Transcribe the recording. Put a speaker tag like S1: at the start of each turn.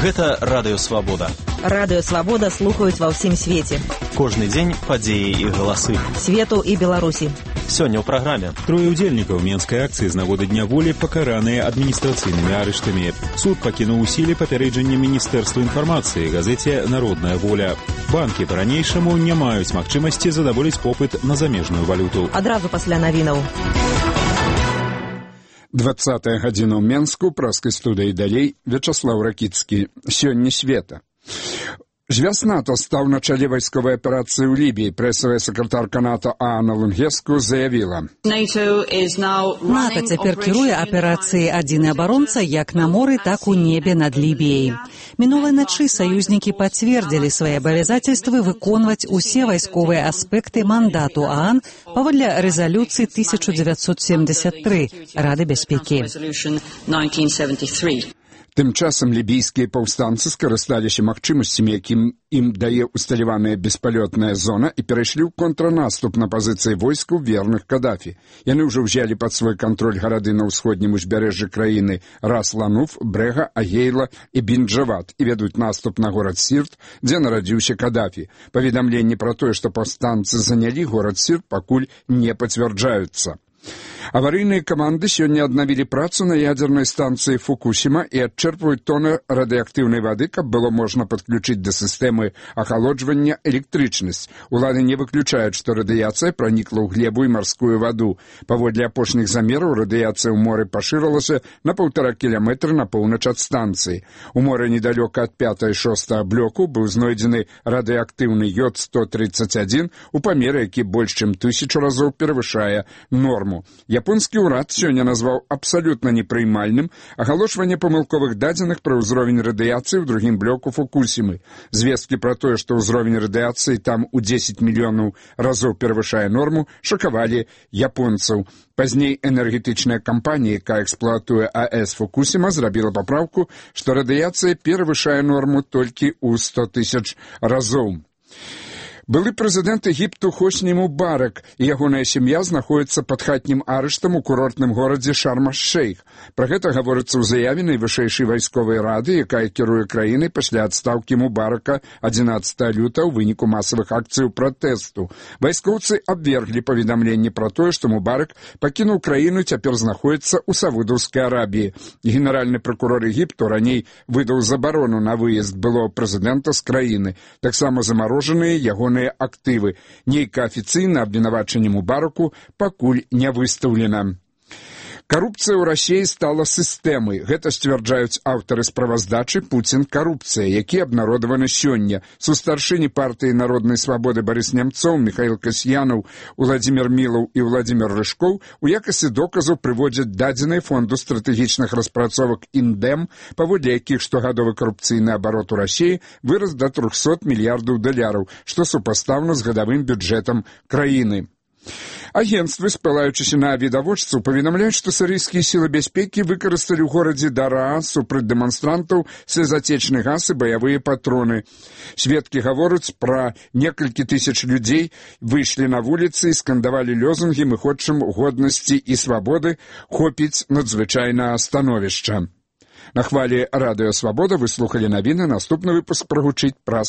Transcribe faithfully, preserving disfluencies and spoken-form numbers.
S1: Гэта Радыё Свабода.
S2: Радыё Свабода слухаюць ва ўсім свеце.
S1: Кожны дзень падзеі і галасы.
S2: Свету і Беларусі.
S1: Сёння ў праграме.
S3: Трое удзельнікаў менскай акцыі з нагоды Дня волі пакараныя адміністрацыйнымі арыштамі. Суд пакінуў у сіле папярэджанне Міністэрства інфармацыі газеце «Народная воля». Банкі па-ранейшаму не маюць магчымасці задаволіць попыт на замежную валюту.
S2: Адразу пасля навінаў.
S4: двадцатая гадзіна ў Менску, праскай студыі далей, Вячаслаў Ракіцкі. Сёння света. Звяз НАТО стаў на чале вайсковай аперацыі ў Лібіі. Прэсавая сакратарка НАТО Анна Лунгеску заявіла.
S5: НАТО цяпер кіруе аперацыі «Адзіны абаронца» як на моры, так у небе над Лібіяй. Мінулай начы саюзнікі пацвердзілі свае абавязацельствы выконваць усе вайсковыя аспекты мандату ААН паводле рэзалюцыі тысяча дзевяцьсот семьдесят три Рады бяспекі.
S4: Тым часам лібійскія паўстанцы скарысталіся магчымасцямі, якім ім дае усталяваная беспалётная зона, і перайшлі ў контрнаступ на пазіцыі войскаў верных Кадафі. Яны ўжо ўзялі пад свой кантроль гарады на ўсходнім узбярэжжы краіны Рас-Лануф, Брэга, Агейла і Бінджават і вядуць наступ на горад Сірт, дзе нарадзіўся Кадафі. Паведамленні пра тое, што паўстанцы занялі горад Сірт, пакуль не пацвярджаюцца. Аварыйныя каманды сёння аднавілі працу на ядзернай станцыі Фукусіма і адчэрпваюць тоны радыеактыўнай вады, каб было можна падключыць да сістэмы ахалоджвання электрычнасць. Улады не выключаюць, што радыяцыя пранікла ў глебу і марскую ваду. Паводле апошніх замераў радыяцыя ў моры пашырылася на паўтара кіламетры на поўнач ад станцыі. У моры недалёка ад пятага і шостага блоку быў знойдзены радыеактыўны йод сто тридцать один у памеры, які больш чым тысячу разоў перавышае норму. Японскі ўрад сёння назваў абсалютна непрыймальным агалошванне памылковых дадзеных пра ўзровень радыяцыі ў другім блоку Фукусімы. Звесткі пра тое, што ўзровень радыяцыі там у дзесяць мільёнаў разоў перавышае норму, шакавалі японцаў. Пазней энергетычная кампанія, якая эксплуатуе АЭС Фукусіма, зрабіла папраўку, што радыяцыя перавышае норму толькі ў сто тысяч разоў. Былы прэзідэнт Егіпту Хосні Мубарак і ягоная сям'я знаходзяцца пад хатнім арыштам у курортным горадзе Шарм-аш-Шейх. Пра гэта гаворыцца ў заяве найвышэйшай вайсковай рады, якая кіруе краінай пасля адстаўкі Мубарака адзінаццатага лютага ў выніку масавых акцыяў пратэсту. Вайскоўцы абверглі паведамленне пра тое, што Мубарак пакінуў краіну, цяпер знаходзіцца ў Саудаўскай Арабіі. Генеральны пракурор Егіпту раней выдаў забарону на выезд былога прэзідэнта з краіны. Таксама замарожаныя ягоныя актывы. Нейкае афіцыйнае абвінавачанне Мубараку пакуль не выстаўлена. Карупцыя ў Расіі стала сістэмай. Гэта сцвярджаюць аўтары справаздачы «Пуцін. Карупцыя», які абнародаваны сёння. Сустаршыні партыі народнай свабоды Барыс Нямцоў, Міхаіл Касьянаў, Уладзімір Мілаў і Уладзімір Рыжкоў у якасці доказаў прыводзяць дадзеныя фонду стратэгічных распрацовак «Індэм», паводле якіх штогадовы карупцыйны абарот у Расіі вырас да трохсот мільярдаў даляраў, што супастаўна з гадавым бюджэтам краіны. Агенцтвы, спалаючыся на відавочцаў, паведамляюць, што сірыйскія сілы бяспекі выкарысталі ў горадзе Дараа супраць дэманстрантаў слезатечны газ і баявыя патроны. Сведкі гавораць пра некалькі тысяч людзей, выйшлі на вуліцы і скандавалі лёзунгі «Мы хочам годнасці і свабоды, хопіць надзвычайнае становішча». На хвалі Радыё Свабода вы слухалі навіны, наступны выпуск прагучыць праз